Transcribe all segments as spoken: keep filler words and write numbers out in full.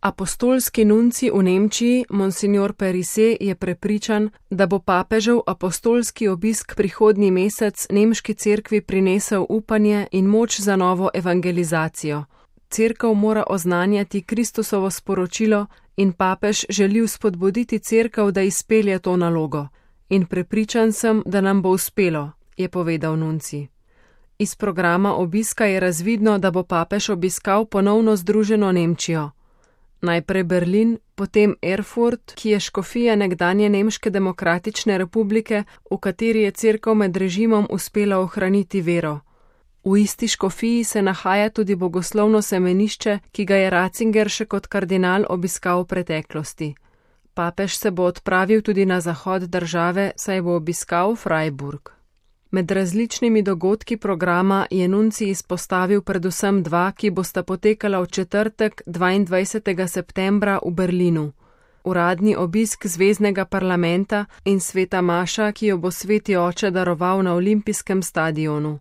Apostolski nunci v Nemčiji, monsignor Perise, je prepričan, da bo papežev apostolski obisk prihodnji mesec nemški cerkvi prinesel upanje in moč za novo evangelizacijo. Cerkev mora oznanjati Kristusovo sporočilo in papež želi vzpodbuditi cerkev, da izpelje to nalogo. In prepričan sem, da nam bo uspelo, je povedal nunci. Iz programa obiska je razvidno, da bo papež obiskal ponovno združeno Nemčijo. Najprej Berlin, potem Erfurt, ki je škofija nekdanje Nemške demokratične republike, v kateri je cerkev med režimom uspela ohraniti vero. V isti škofiji se nahaja tudi bogoslovno semenišče, ki ga je Ratzinger še kot kardinal obiskal v preteklosti. Papež se bo odpravil tudi na zahod države, saj bo obiskal Freiburg. Med različnimi dogodki programa je nunci izpostavil predvsem dva, ki bosta potekala v četrtek dvaindvajsetega septembra v Berlinu. Uradni obisk zveznega parlamenta in sveta maša, ki jo bo sveti oče daroval na olimpijskem stadionu.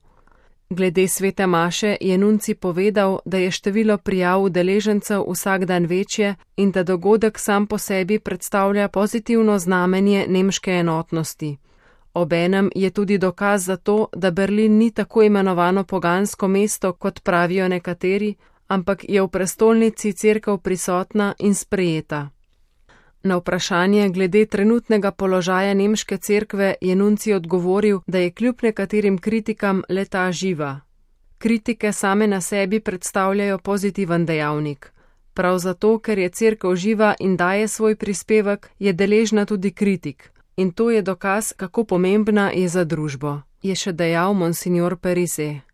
Glede svete maše je nunci povedal, da je število prijav udeležencev vsak dan večje in da dogodek sam po sebi predstavlja pozitivno znamenje nemške enotnosti. Obenem je tudi dokaz za to, da Berlin ni tako imenovano pogansko mesto, kot pravijo nekateri, ampak je v prestolnici cerkev prisotna in sprejeta. Na vprašanje glede trenutnega položaja nemške cerkve je nunci odgovoril, da je kljub nekaterim kritikam le-ta živa. Kritike same na sebi predstavljajo pozitiven dejavnik. Prav zato, ker je cerkev živa in daje svoj prispevek, je deležna tudi kritik. In to je dokaz, kako pomembna je za družbo, je še dejal monsignor Perise.